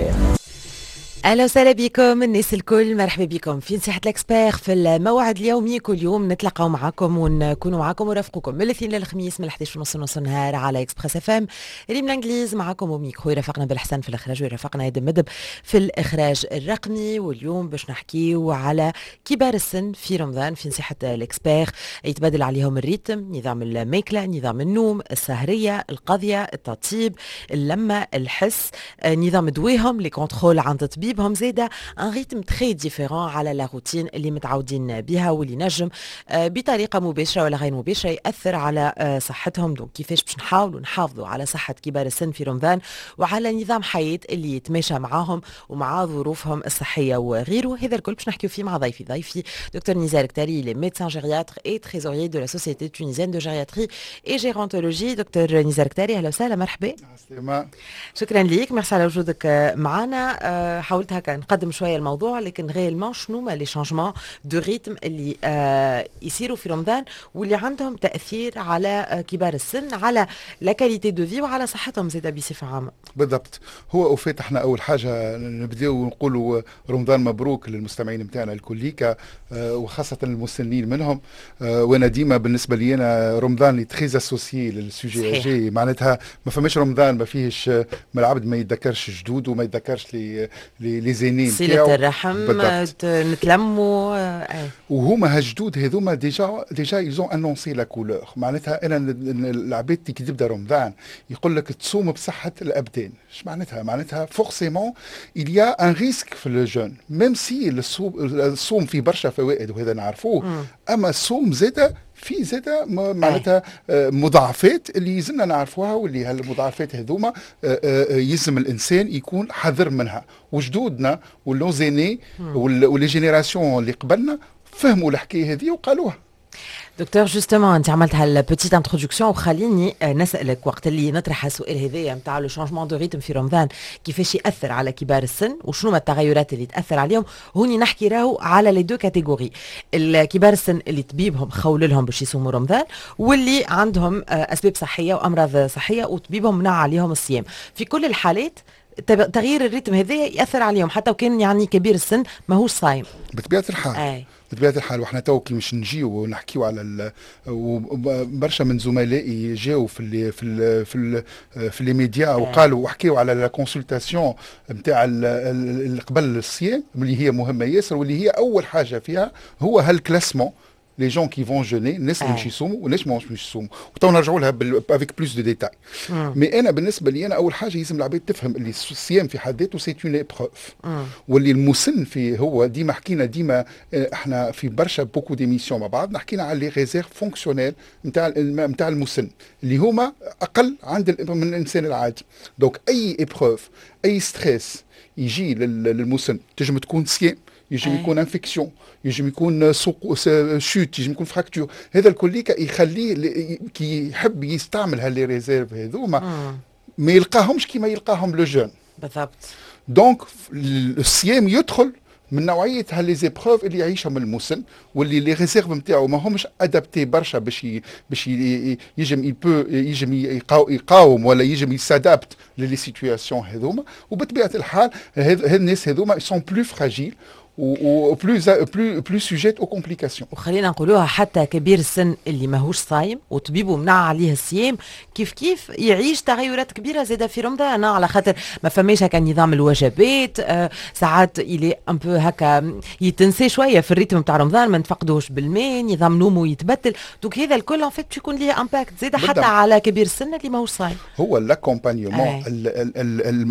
l'expert. اهلا وسهلا بكم الناس الكل، مرحبا بكم في نصيحة l'expert في الموعد اليومي. كل يوم نتلاقاو معكم ونكونوا معكم ورافقوكم من الاثنين للخميس من 11 ونص نص النهار على Express FM. ريم الانجليز معكم وميكرو، يرافقنا بالحسن في الاخراج ويرافقنا ادم مدب في الاخراج الرقمي. واليوم باش نحكيو على كبار السن في رمضان في نصيحة l'expert. يتبدل عليهم ال rythme، نظام الماكلة، نظام النوم، السهرية، القضية، التطيب، اللمة، الحس، نظام دواهم، les contrôles عند طبيب هم زاده، un rythme très différent على la routine اللي متعودين بها واللي نجم بطريقة مباشرة ولا غير مباشرة ياثر على صحتهم. donc كيفاش باش نحاولوا نحافظوا على صحة كبار السن في رمضان وعلى نظام حياة اللي يتماشى معاهم ومع ظروفهم الصحية وغيره، هذا الكل باش نحكيو فيه مع ضيفي دكتور نزار كتاري، il est médecin gériatre et trésorier de la Société tunisienne de gériatrie et gérontologie. دكتور نزار كتاري، اهلا وسهلا، مرحبا. شكرا ليك، ميرسي على وجودك معنا. حاولت هكا نقدم شوية الموضوع، لكن réellement شنو ما les changements de rythme اللي يصيروا في رمضان واللي عندهم تاثير على كبار السن، على la qualité de vie وعلى صحتهم زاده بصفة عامه؟ بالضبط. هو au fait احنا اول حاجة نبداو نقولوا رمضان مبروك للمستمعين نتاعنا الكليكا وخاصة المسنين منهم. وانا ديما بالنسبة لي انا رمضان très associé لل sujets âgés، معناتها ما فماش رمضان ما فيهش ما العبد ما يتذكرش جدود وما يتذكرش les aînés. صلة الرحم، نتلموا. وهما هالجدود هذوما déjà ils ont annoncé la couleur. معناتها انا العباد كي تبدا رمضان يقول لك تصوم بصحة الابدان. ايش معناتها؟ معناتها forcément il y a un risque في le jeûne، même si الصوم فيه برشا فوائد وهذا نعرفوه، اما الصوم زاده في زاده معناتها مضاعفات اللي يلزمنا نعرفوها، واللي هالمضاعفات هذوما يلزم الانسان يكون حذر منها. وجدودنا و nos aînés و les générations اللي قبلنا فهموا الحكاية هذه وقالوها. دكتور، justement انت عملت هال petite introduction وخليني نسالك، وقت اللي نطرح السؤال هذايا نتاع le changement de rythme في رمضان كيفاش ياثر على كبار السن وشنو ما التغيرات اللي تاثر عليهم، هوني نحكي راهو على les deux catégories: الكبار السن اللي طبيبهم خول لهم باش يصوموا رمضان، واللي عندهم اسباب صحية وامراض صحية وطبيبهم منع عليهم الصيام. في كل الحالات تغيير ال rythme هذا ياثر عليهم حتى وكان يعني كبير السن ماهوش صايم. بطبيعة الحال. بطبيعة الحال، وحنا تو كي مش نجيو ونحكيو على برشا من زملائي جاو في les médias وقالوا وحكيو على la consultation نتاع قبل الصيام اللي هي مهمة ياسر، واللي هي اول حاجة فيها هو هال classement، les gens qui vont jeûner، الناس اللي مش يصوموا والناس مش يصوموا، وتو نرجعوا لها avec plus de détails. mais انا بالنسبة لي انا اول حاجة لازم العباد تفهم اللي الصيام في حد ذاته c'est une épreuve، واللي المسن في هو ديما حكينا ديما احنا في برشا beaucoup d'émissions مع بعض حكينا على les réserves fonctionnelles نتاع المسن اللي هما اقل عند من الانسان العادي. donc اي épreuve، اي stress يجي للمسن، تنجم تكون صيام، يجم يكون infection، يجم يكون سوق chute، يجم يكون fracture، هذا الكل يخليه كي يحب يستعمل ها les réserves هذوما ما يلقاهمش كيما يلقاهم le jeune. Donc الصيام يدخل من نوعية ها les épreuves اللي يعيشهم المسن واللي les réserves نتاعو ما همش adaptées برشا باش يجم il peut يجم يقاوم ولا يجم ي s'adapte les situations هذوما. وبطبيعة الحال هاد الناس هذوما sont plus fragiles و plus sujets aux complications. وخلينا نقولوها، حتى كبير السن اللي ماهوش صايم وطبيبه منع عليه الصيام كيف كيف يعيش تغيرات كبيرة زاده في رمضان، على خاطر ما فماش هكا نظام الوجبات. ساعات il est un peu هكا يتنسى شوية في ال rythme تاع رمضان، ما نتفقدوش بالماء، نظام نومه يتبدل. donc هذا الكل en fait يكون ليه impact زاده حتى على كبير السن اللي ماهوش صايم. هو l'accompagnement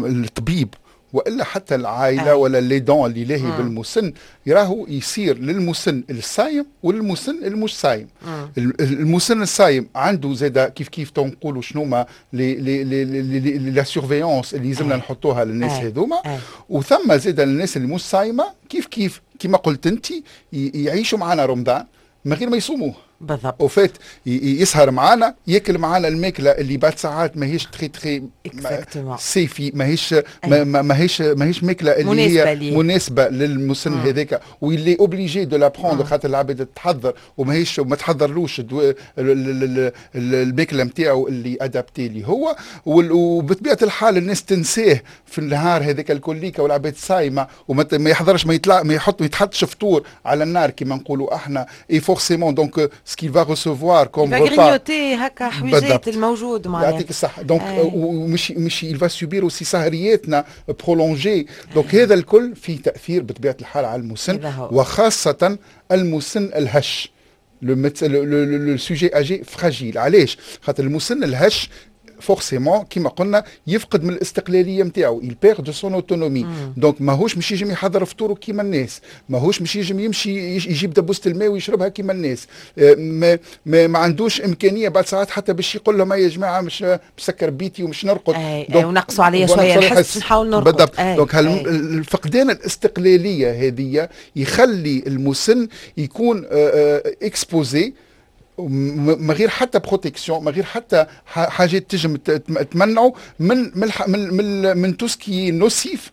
الطبيب والا حتى العائلة ولا l'aidant اللي لاهي بالمسن يراهو يصير للمسن الصايم وللمسن المش صايم. المسن الصايم عنده زاد كيف كيف نقولوا شنو ما les la surveillance اللي لازمنا نحطوها للناس هذوما. وثم زاد الناس اللي مش صايمه كيف كيف، كما قلت انت، يعيشوا معنا رمضان من غير ما يصوموه. بالضبط. au fait يسهر معانا، ياكل معانا الماكلة اللي بعد ساعات ماهيش très très safe، ماهيش ماكله اللي مناسبة هي ليه. مناسبة للمسن هذاك، و il est obligé de la prendre خاطر العباد تحضر وماهيش ما تحضرلوش الماكلة نتاعو اللي adaptée اللي هو. وبطبيعة الحال الناس تنساه في النهار هذاك الكليكه، والعباد صايمه وما ما يحضرش، ما يطلع، ما يحط، ما يتحطش فطور على النار كما نقولوا احنا، et forcément donc ce qu'il va recevoir comme repas grignoter هكا حويجات الموجود معناها. يعطيك الصحة. donc ومش مش il va subir aussi سهرياتنا prolongées، donc هذا الكل فيه تأثير بطبيعة الحال على المسن هذا هو. وخاصة المسن الهش، le sujet âgé fragile. علاش؟ خاطر المسن الهش forcément كيما قلنا يفقد من الاستقلالية نتاعو، il perd de son autonomie، donc ماهوش مش يجم يحضر فطوره كيما الناس، ماهوش مش يجم يمشي يجيب دبوسه الماء ويشربها كيما الناس، ما عندوش امكانية بعد ساعات حتى باش يقول لهم يا جماعة مش مسكر بيتي ومش نرقد. اي ونقصوا عليا شوية الحس، نحاول نرقد. بالضبط. donc الفقدان الاستقلالية هذه يخلي المسن يكون exposé من غير حتى protection، من غير حتى حاجات تجم تمنعه من tout ce qui est nocif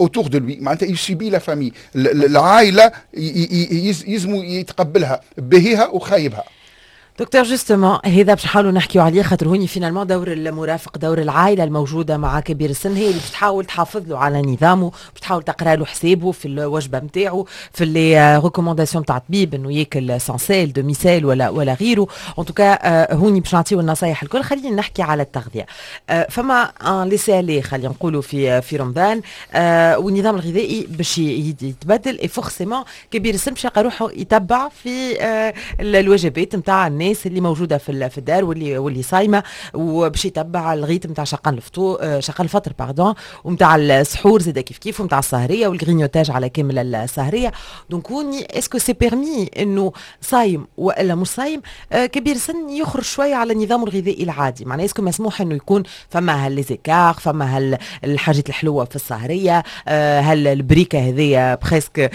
autour de lui. معناتها il subit la famille، العائلة يلزموا يتقبلها باهيها وخايبها. دكتور، justement هذا باش نحاولوا نحكيو عليه، خاطر هوني finalement دور المرافق، دور العائلة الموجودة مع كبير السن هي اللي باش تحاول تحافظ له على نظامه، باش تحاول تقرا له حسابه في الوجبة نتاعو، في les recommandations تاع الطبيب انه ياكل sans sel، demi-sel ولا غيره. en tout cas هوني باش نعطيو النصايح الكل. خلينا نحكي على التغذيه. فما un laisser-aller خلينا نقولوا في رمضان، والنظام الغذائي باش يتبدل، et forcément كبير السن باش يلقى روحه يتبع في الوجبات نتاع الناس اللي موجودة في الدار واللي صايمه، وباش يتبع ال rythme نتاع شقان الفطور، شقان الفطر pardon، ونتاع السحور زاد كيف كيف، ونتاع السهريه وال grignotage على كامل السهريه. donc هوني est-ce que c'est permis انه صايم والا مش صايم كبير سن يخرج شوية على النظام الغذائي العادي؟ معناها est-ce que مسموح انه يكون فما هال les écarts، فما هال الحاجات الحلوة في السهريه، هل البريكه هذيا presque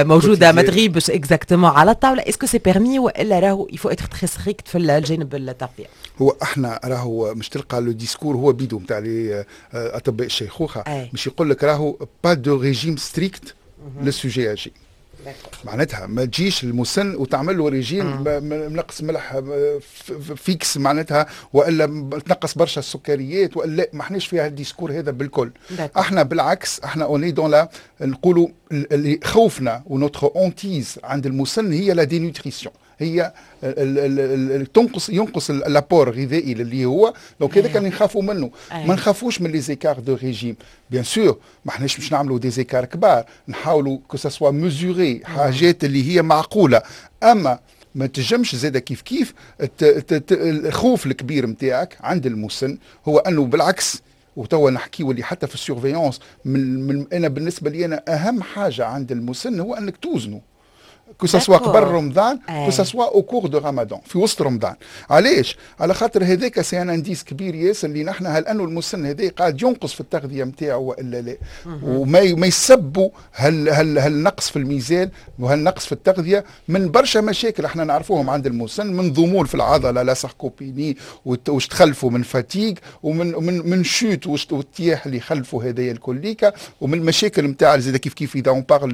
موجودة ما تغيبش exactement على الطاوله؟ est-ce que c'est permis والا راهو il faut être très strict في الجانب التغذيه؟ هو احنا راهو مش تلقى le discours هو بيدو نتاع les اطباء الشيخوخه، مش يقول لك راهو pas de régime strict لل sujet âgé. معناتها ما تجيش المسن وتعمل له ريجيم منقص ملح fixe معناتها، والا تنقص برشا السكريات، والا ما احناش فيها ال discours هذا بالكل. احنا بالعكس، احنا on est dans la نقولوا اللي خوفنا و notre hantise عند المسن هي la dénutrition، هي تنقص ينقص l'apport الغذائي اللي هو، donc هذا كان نخافوا منه. ما نخافوش من les écarts de régime، bien sûr ما احناش باش نعملوا des écarts كبار، نحاولوا que ça soit mesuré، حاجات اللي هي معقوله. اما ما تجمش زاده كيف كيف الخوف الكبير نتاعك عند المسن هو انه بالعكس، وتوا نحكيو اللي حتى في ال surveillance من انا بالنسبة لي انا اهم حاجة عند المسن هو انك توزنه، que ce soit قبل رمضان، que ce soit au cours de رمضان، في وسط رمضان. علاش؟ على خاطر هذاك c'est un indice كبير ياسر اللي نحن هل انه المسن هذا قاعد ينقص في التغذية نتاعو والا لا، وما ما يسبوا هل نقص في الميزان وهل نقص في التغذية من برشا مشاكل احنا نعرفوهم عند المسن، من ضمور في العضله، la sarcopénie، واش تخلفوا من fatigue، ومن من من chute والطياح اللي خلفوا هذايا الكليكا، ومن المشاكل نتاع زاد كيف كيف اذا on parle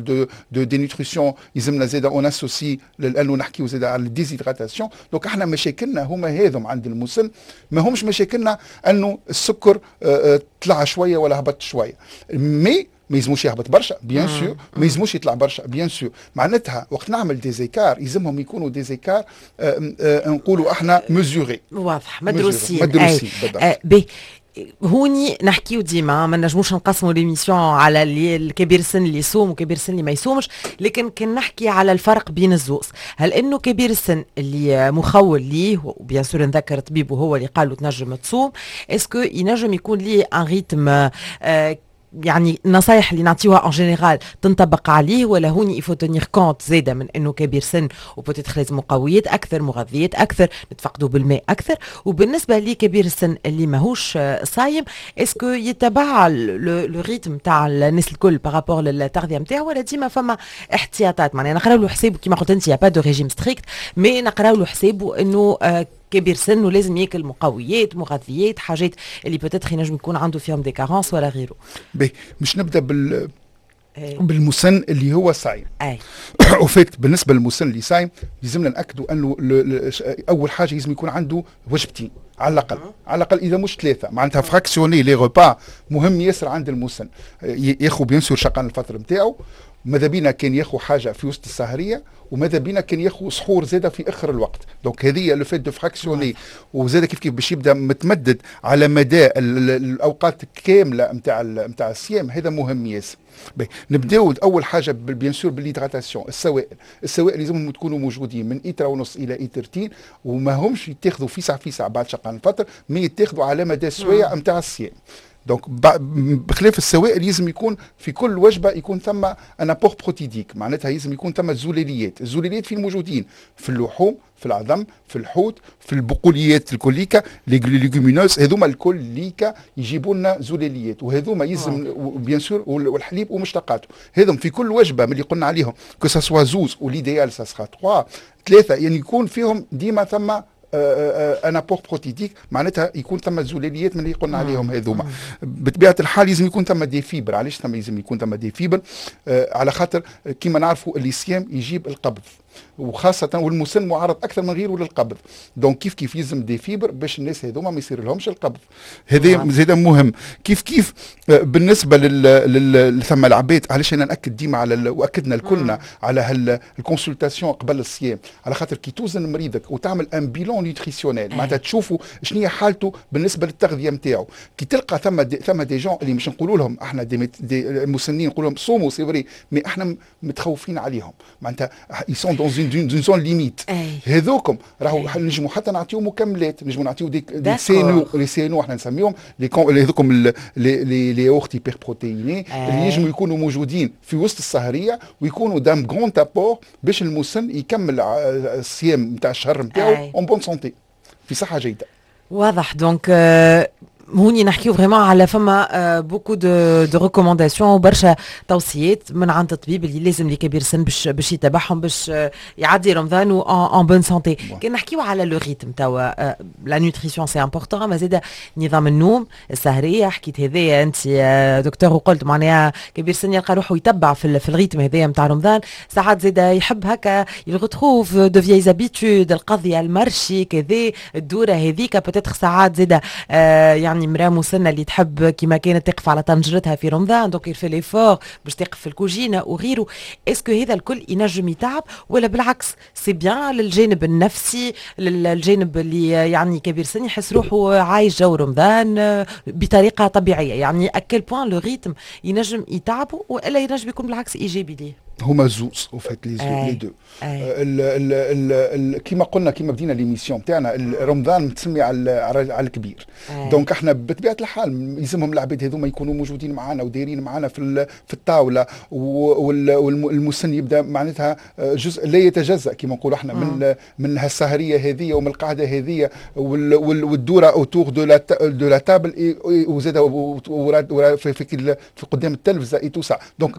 de dénutrition يلزمنا زاد on associe لانه نحكيو زاد على ال déshydratation. donc احنا مشاكلنا هما هذم عند المسن، ما همش مشاكلنا انه السكر طلع شوية ولا هبط شويه. mais ما يلزموش يهبط برشا bien sûr، ما يلزموش يطلع برشا bien sûr. معناتها وقت نعمل des écarts يلزمهم يكونوا des écarts نقولوا احنا mesurés. واضح، مدروسين. مدروسين. بالضبط. هوني نحكيو ديما ما نجموش نقسموا l'émission على اللي الكبير السن اللي يصوم وكبير السن اللي ما يصومش، لكن كان نحكي على الفرق بين الزوز، هل انه كبير السن اللي مخول ليه، و bien sûr نذكر طبيب وهو اللي قال له تنجم تصوم، est-ce que ينجم يكون ليه un rythme يعني النصايح اللي نعطيوها en général تنطبق عليه، ولا هوني il faut tenir compte زاده من انه كبير سن و peut-être لازم مقويات اكثر، مغذيات اكثر، نتفقدوا بالماء اكثر؟ وبالنسبة لكبير السن اللي ماهوش صايم، est-ce que يتبع le rythme تاع الناس الكل par rapport للتغذيه نتاعو، ولا ديما فما احتياطات؟ معناها نقراو له حسابه، كيما قلت انت y a pas de régime strict، mais نقراو له حسابه انه كبير سن ولازم ياكل مقويات، مغذيات، حاجات اللي peut-être ينجم يكون عنده فيهم des carences ولا غيره. باهي، مش نبدا بالمسن اللي هو صايم. au fait بالنسبة للمسن اللي صايم، لازمنا ناكدوا انه اول حاجة لازم يكون عنده وجبتين على الاقل، على الاقل اذا مش ثلاثه. معناتها fractionner les repas مهم ياسر عند المسن. ياخذ bien sûr شقان الفطر نتاعو، ماذا بينا كان ياخذ حاجة في وسط السهريه، وماذا بينا كان ياخذ سحور زاده في اخر الوقت. donc هذه le fait de fractionner، وزاده كيف كيف باش يبدا متمدد على مدى الاوقات كاملة نتاع الصيام، هذا مهم ياسر. نبداو اول حاجة bien sûr بال l'hydratation، السوائل. السوائل لازمهم تكونوا موجودين من ايترا ونص الى ايترتين، وما همش يتاخذوا فيسع فيسع بعد شقان الفطر، mais يتاخذوا على مدى السوايع نتاع الصيام. donc بخلاف السوائل، لازم يكون في كل وجبة يكون ثم un apport protidique، معناتها لازم يكون ثم زلاليات. الزلاليات فين موجودين؟ في اللحوم، في العظم، في الحوت، في البقوليات الكليكا، les légumineuses، هذوما الكليكا يجيبوا لنا زلاليات، وهذوما يلزم bien sûr والحليب ومشتقاته. هذم في كل وجبة من اللي قلنا عليهم، que ce soit زوز و l'idéal ça sera 3، ثلاثه، يعني يكون فيهم ديما ثم un apport protidique، معناتها يكون ثم زلاليات من اللي قلنا عليهم هذوما. بطبيعة الحال لازم يكون ثم des fibres. علاش ثم لازم يكون ثم des fibres؟ على خاطر كيما نعرفوا اللي الصيام يجيب القبض، وخاصة والمسن معرض أكثر من غيره للقبض. donc كيف كيف يلزم des fibres باش الناس هذوما ما يصير لهمش القبض. هذا زاد مهم. كيف كيف بالنسبة لل ثم العباد، علاش أنا نأكد ديما على وأكدنا الكلنا على ال consultation قبل الصيام؟ على خاطر كي توزن مريضك وتعمل un bilan nutritionnel، معناتها تشوفوا شنو هي حالته بالنسبة للتغذية نتاعو، كي تلقى ثم des gens اللي مش نقولوا لهم احنا des المسنين، نقول لهم صوموا، c'est vrai، mais احنا متخوفين عليهم، معناتها ils sont dans une zone limite. هذوكم راهو نجموا حتى نعطيو مكملات، نجموا نعطيو des CNO، les CNO احنا نسميهم les هذوكم les yaourts hyperprotéinés اللي ينجموا يكونوا موجودين في وسط السهريه ويكونوا d'un grand apport باش المسن يكمل الصيام نتاع الشهر نتاعو en bonne santé، في صحة جيده. واضح. donc هوني نحكيو vraiment على فما beaucoup de recommandations وبرشا توصيات من عند الطبيب اللي لازم لكبير السن باش يتبعهم باش يعدي رمضان en bonne santé. كي نحكيو على le rythme توا، la nutrition c'est important، ما زاد نظام النوم، السهريه، حكيت هذايا انت دكتور وقلت معناها كبير السن يلقى روحه يتبع في ال rythme هذايا نتاع رمضان، ساعات زاد يحب هكا il retrouve de vieilles habitudes، القضيه، ال marché، كذا، الدورة هذيك. peut-être ساعات زاد يعني مراة مسنة اللي تحب كما كانت تقف على طنجرتها في رمضان، donc il fait l'effort باش تقف في الكوجينه وغيره. est-ce que هذا الكل ينجم يتعب، ولا بالعكس c'est bien للجانب النفسي، للجانب اللي يعني كبير سن يحس روحه عايش جو رمضان بطريقة طبيعيه؟ يعني à quel point le rythme ينجم يتعبه والا ينجم يكون بالعكس ايجابي ليه؟ هما زوز au fait، les deux. كيما قلنا، كيما بدينا l'émission تاعنا، رمضان متسمي على الكبير. donc احنا بطبيعة الحال يلزمهم العباد هذوما يكونوا موجودين معنا ودايرين معنا في الطاوله، والمسن يبدا معناتها جزء لا يتجزا كيما نقولوا احنا من هالسهريه هذه ومن القعدة هذه والدوره autour de la table، وزاد في قدام التلفزة et tout ça. donc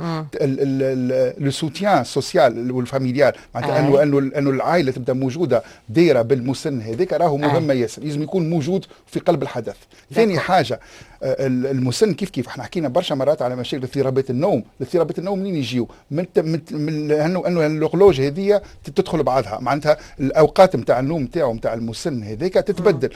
le soutien social وال familial، معناتها انه العائلة تبدا موجودة دايرة بالمسن هذاك، راهو مهمة ياسر، لازم يكون موجود في قلب الحدث. ثاني حاجه، المسن كيف كيف احنا حكينا برشا مرات على مشاكل اضطرابات النوم. اضطرابات النوم منين يجيو؟ من انه l'horloge هذه تدخل بعضها، معناتها الاوقات نتاع النوم نتاعو، نتاع المسن هذاك، تتبدل.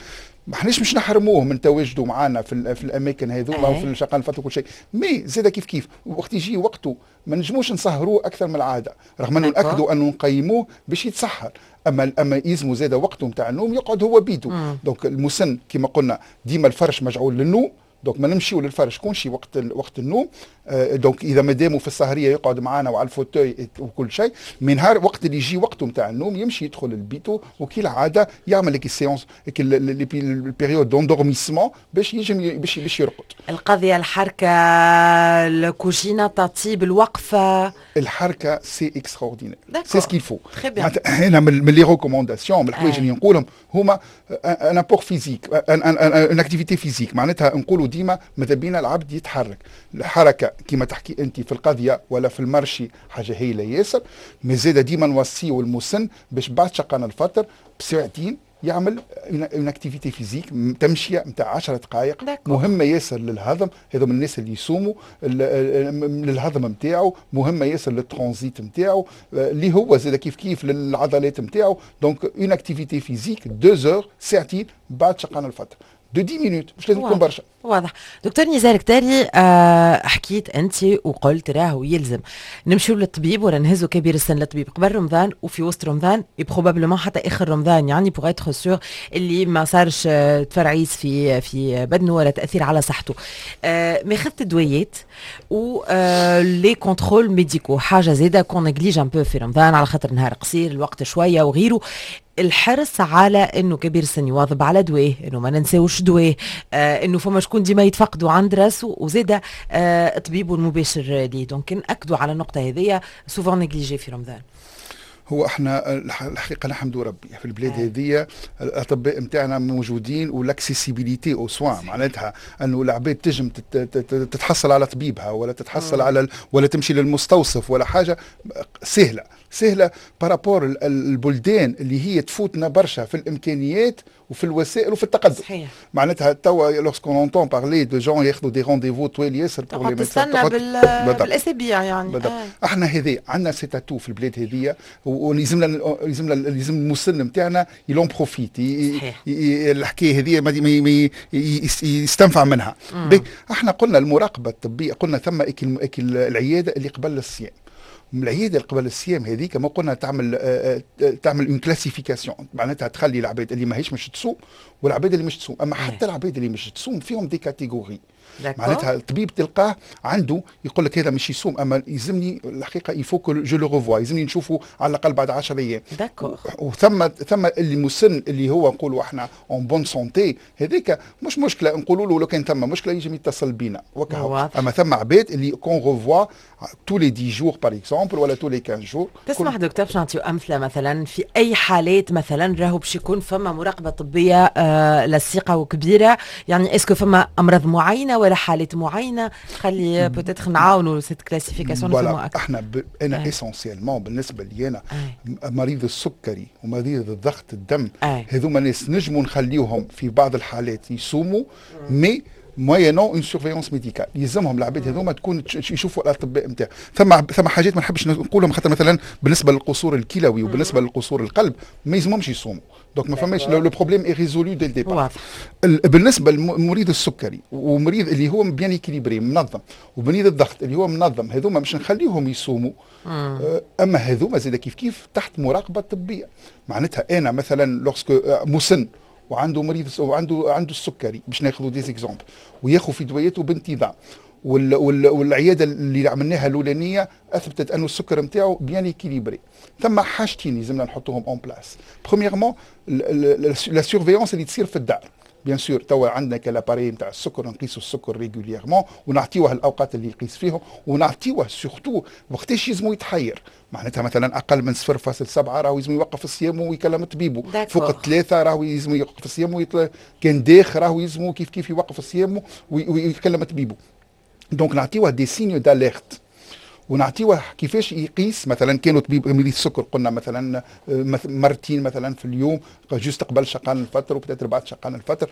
ما احناش مش نحرموه من تواجده معنا في الاماكن هذوما وفي الشقان الفطر وكل شيء، mais زاد كيف كيف وقت يجي وقته ما نجموش نسهروه اكثر من العاده، رغم انه ناكدوا انه نقيموه باش يتسحر، اما يلزموا زاد وقته نتاع النوم يقعد هو بيدو. donc المسن كما قلنا ديما الفرش مجعول للنوم. donc ما نمشيو للفرش كونشي وقت النوم. donc اذا ماداموا في السهريه يقعد معنا وعلى ال fauteuil وكل شيء، من نهار وقت اللي يجي وقته نتاع النوم يمشي يدخل البيتو وكي العادة يعمل لك ال séance، ال période d'endormissement باش يجم باش يرقد. القضيه، الحركه، الكوجينه، تطيب، الوقفه. الحركة c'est extraordinaire، c'est ce qu'il faut. انا من les recommandations، من الحوايج اللي نقولهم هما un apport physique، une activité physique. معناتها نقولوا ديما ماذا بينا العبد يتحرك. الحركة كما تحكي انت في القضية ولا في ال marché حاجة هايلة ياسر، mais زاد ديما نوصيو المسن باش بعد شقان الفطر بساعتين يعمل une activité physique، تمشيه نتاع 10 دقائق، مهمة ياسر للهضم. هذو من الناس اللي يصوموا، للهضم نتاعو، مهمة ياسر للترانزيت نتاعو اللي هو زاد كيف كيف للعضلات نتاعو. donc une activité physique 2 heures، ساعتين بعد شقان الفطر، de 10 minutes، مش لازم تكون برشا. واضح دكتور نزار كتاري. حكيت انت وقلت راهو يلزم نمشيو للطبيب ولا نهزو كبير السن للطبيب قبل رمضان وفي وسط رمضان، probablement حتى اخر رمضان، يعني pour être sûr اللي ما صارش تفرعيس في بدنه ولا تاثير على صحته. ماخذة الدويات و les contrôles médicaux، حاجة زاده qu'on néglige un peu في رمضان على خاطر نهار قصير، الوقت شوية وغيره. الحرص على انه كبير السن يواظب على دواه، انه ما ننساوش دواه، انه فما شكون ديما يتفقدوا عند راسه، وزاده طبيبه المباشر ليه. donc ناكدوا على النقطة هذيا، souvent négligée في رمضان. هو احنا الحقيقة نحمد ربي في البلاد هذه الاطباء نتاعنا موجودين و l'accessibilité aux soins، معناتها انه العباد تجم تتحصل على طبيبها ولا تتحصل على ولا تمشي للمستوصف ولا حاجه، سهلة سهلة par rapport البلدان اللي هي تفوتنا برشا في الامكانيات وفي الوسائل وفي التقدم. معناتها توا lorsqu'on entend parler de gens ياخذوا des rendez-vous طويل ياسر pour les تستنى بالاسابيع يعني. بالضبط. احنا هذه عندنا cet atout في البلاد هذه، ولازمنا لازمنا لازم المسن نتاعنا il en profite. الحكاية هذه ما يستنفع منها. احنا قلنا المراقبة الطبيه، قلنا ثم العيادة اللي قبل الصيام. العيادة اللي قبل الصيام هذيك ما قلنا تعمل une classification، معناتها تخلي العباد اللي ماهيش مش تصوم والعباد اللي مش تصوم. اما حتى العباد اللي مش تصوم فيهم des catégories، معناتها الطبيب تلقاه عنده يقول لك هذا مش يصوم، اما يلزمني الحقيقة il faut que je le revoie، يلزمني نشوفه على الاقل بعد 10 ايام. وثم اللي مسن اللي هو نقولوا احنا en bonne santé، هذيك مش مشكله، نقولوا له لو كان ثم مشكلة يجي يتصل بينا وكهو. اما ثم عباد اللي qu'on revoit tous les 10 jours par exemple ولا tous les 15 jours. تسمح دكتور باش نعطيو امثله، مثلا في اي حالات مثلا راهو باش يكون فما مراقبة طبية لصيقه وكبيره؟ يعني est-ce que فما امراض معينة ولا حالات معينه؟ خلي peut-être نعاونوا cette classification. نفهموا اكثر. احنا انا essentiellement بالنسبة لي انا مريض السكري ومريض الضغط الدم، هذوما ناس نجموا نخليوهم في بعض الحالات يصوموا، mais moyennant une surveillance médicale. يلزمهم العباد هذوما تكون يشوفوا الاطباء نتاع. ثم حاجات ما نحبش نقولهم، خاطر مثلا بالنسبة للقصور الكلوي وبالنسبة للقصور القلب ما يلزمهمش يصوموا، donc ما فماش، le problème est résolu dès le départ. بالنسبة للمريض السكري ومريض اللي هو bien équilibré منظم ومريض الضغط اللي هو منظم، هذوما مش نخليهم يصوموا. اما هذوما زاد كيف كيف تحت مراقبة طبيه. معناتها انا مثلا lorsque مسن وعنده مريض وعنده السكري، باش ناخذوا des exemples، وياخذ في دواياته بانتظام، والعياده اللي عملناها الاولانية اثبتت انه السكر نتاعو bien équilibré، ثم حاجتين لازمنا نحطوهم en place. premièrement la surveillance اللي تصير في الدار. bien sûr توا عندنا ك l'appareil نتاع السكر، نقيسوا السكر régulièrement ونعطيوه الاوقات اللي يقيس فيهم، ونعطيوه surtout وقتاش يلزمو يتحير. معناتها مثلا اقل من 0.7 راهو يلزم يوقف الصيام ويكلم طبيبه، فوق الثلاثة راهو يلزم يوقف الصيام كان داخ راهو يلزمو كيف كيف يوقف الصيام ويكلم طبيبه. donc نعطيوه des signes d'alerte ونعطيوه كيفاش يقيس. مثلا كانوا طبيب مريض السكر قلنا مثلا مرتين مثلا في اليوم، juste قبل شقان الفطر و peut-être بعد شقان الفطر،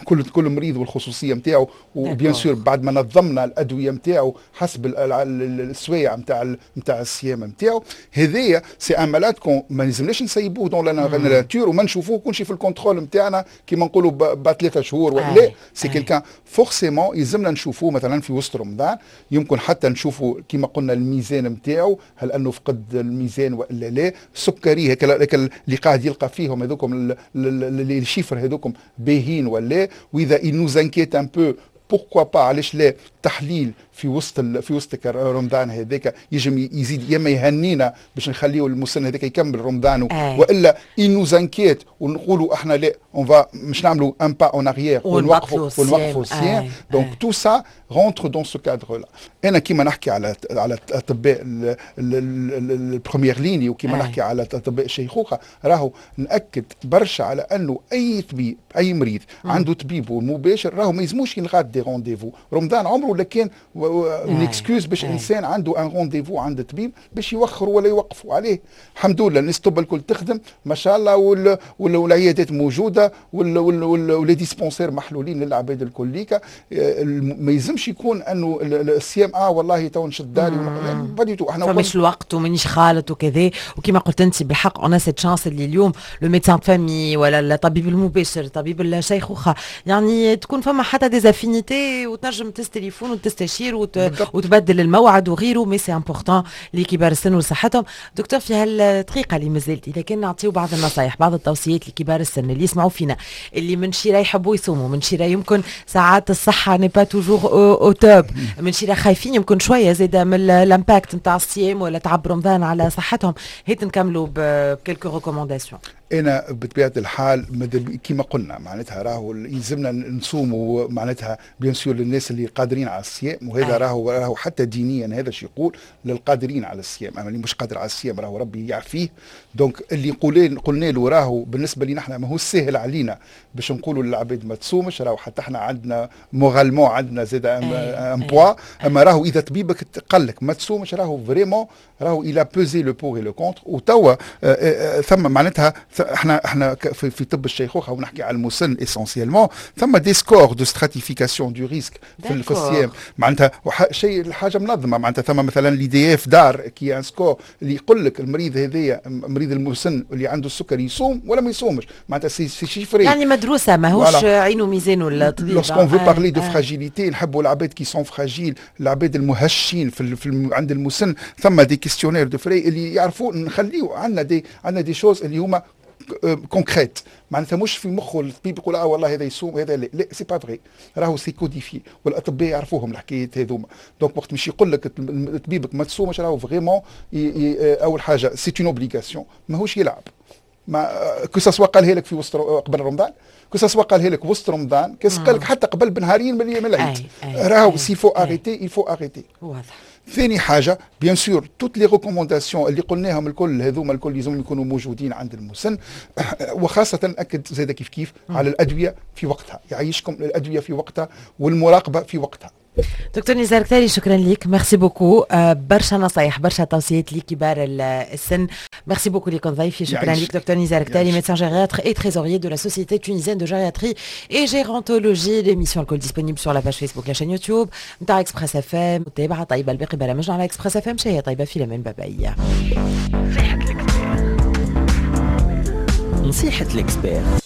كل مريض والخصوصيه نتاعو، و bien sûr بعد ما نظمنا الادوية نتاعو حسب السوايع نتاع الصيام نتاعو. هذايا c'est un malade qu'on ما لازمناش نسيبوه dans la nature وما نشوفوه كل شيء في ال contrôle نتاعنا كيما نقولوا بعد 3 شهور ولا لا. c'est quelqu'un forcément يلزمنا نشوفوه مثلا في وسط رمضان، يمكن حتى نشوفوا كيما قلنا الميزان نتاعو، هل انه فقد الميزان والا لا، سكري هيك اللي قاعد يلقى فيهم هذوكم les chiffres هذوكم باهين ولا، واذا il nous inquiète un peu. pourquoi pas، علاش لا، تحليل في وسط رمضان هذاك يجم يزيد، يا اما يهنينا باش نخليو المسن هذاك يكمل رمضانه، والا il nous inquiète ونقولوا احنا لا، on va مش نعملوا un pas en arrière ونوقفوا الصيام. donc tout ça rentre dans ce cadre-là. انا كيما نحكي على اطباء ال première ligne وكيما نحكي على اطباء الشيخوخه، راهو ناكد برشا على انه اي طبيب، اي مريض عنده طبيبه المباشر، راهو ما يلزموش يلغى des rendez-vous. رمضان عمره لا كان une excuse باش انسان عنده un rendez-vous عند طبيب باش يوخروا ولا يوقفوا عليه. الحمد لله الناس الطب الكل تخدم ما شاء الله، والعيادات موجودة و les dispensaires محلولين للعباد الكليكا. ما يلزمش يكون انه الصيام والله تو نشد داري، pas du tout. احنا فماش الوقت ومانيش خالط وكذا. وكما قلت انت بالحق، on a cette chance اللي اليوم le médecin de famille ولا الطبيب المباشر، طبيب الشيخوخه، يعني تكون فما حتى des affinités وتنجم تهز تليفون وتستشير وتبدل الموعد وغيره. mais c'est important لكبار السن وصحتهم. دكتور، في هالدقيقه اللي مازالت، اذا كان نعطيو بعض النصائح، بعض التوصيات لكبار السن اللي يسمعوا فينا، اللي من شيرة يحبوا يصوموا، من شيرة يمكن ساعات الصحة n'est pas toujours au top، من شيرة خايفين يمكن شوية زاده من l'impact نتاع الصيام ولا تعب رمضان على صحتهم، هيت نكملوا ب quelques recommandations. انا بطبيعة الحال كما قلنا معناتها راهو يلزمنا نصوموا، معناتها bien sûr للناس اللي قادرين على الصيام، وهذا راهو حتى دينيا هذا شيء يقول للقادرين على الصيام، اما اللي مش قادر على الصيام راهو ربي يعفيه. donc اللي قلنا له راهو بالنسبة لنا احنا ما هو سهل علينا باش نقولوا للعباد ما تصومش، راهو حتى احنا عندنا moralement عندنا زاد un poids. اما راهو اذا طبيبك قال لك ما تصومش، راهو vraiment راهو il a pesé le pour et le contre. وتوا ثم معناتها احنا في طب الشيخوخة ونحكي على المسن essentiellement، ثم des scores de stratification du risque في الصيام، معناتها شيء الحاجة منظمه. معناتها ثم مثلا l'IDF DAR qui est un score اللي يقول لك المريض هذايا، مريض المسن اللي عنده السكر، يصوم ولا ما يصومش. معناتها c'est chiffré. يعني مدروسه، ماهوش عينه ميزانه الطبيب. lorsqu'on veut parler de fragilité، نحبوا العباد qui sont fragiles، العباد المهشين في عند المسن، ثم des questionnaires de Frey اللي يعرفوا نخليو عندنا des choses اللي هما concrètes. معناتها مش في مخه الطبيب يقول اه والله هذا يصوم هذا لا. لا، c'est pas vrai، راهو c'est codifié والاطباء يعرفوهم الحكايات هذوما. donc وقت مش يقول لك طبيبك ما تصومش، راهو vraiment اول حاجة c'est une obligation، ماهوش يلعب. ما que ce soit قالها لك في وسط قبل رمضان، que ce soit قالها لك وسط رمضان، que قال لك حتى قبل بنهارين من العيد، راهو s'il faut arrêter، il faut arrêter. واضح. ثاني حاجه، bien sûr toutes les recommandations اللي قلناهم الكل هذوما الكل لازم يكونوا موجودين عند المسن، وخاصة اكد زاد كيف كيف على الادوية في وقتها. يعيشكم، الادوية في وقتها والمراقبة في وقتها. دكتور نزار كتاري، شكرا لك، merci beaucoup. برشا نصايح، برشا توصيات لكبار السن. merci beaucoup لكم ضيفي، شكرا لك دكتور نزار كتاري، médecin gériatre et trésorier de la Société tunisienne de gériatrie et gérontologie. l'émission الكل disponible sur la page Facebook، la chaîne YouTube نتاع Express FM. متابعة طيبة الباقي برامجنا على Express FM. شهية طيبة، في الامان، bye bye. نصيحة l'expert.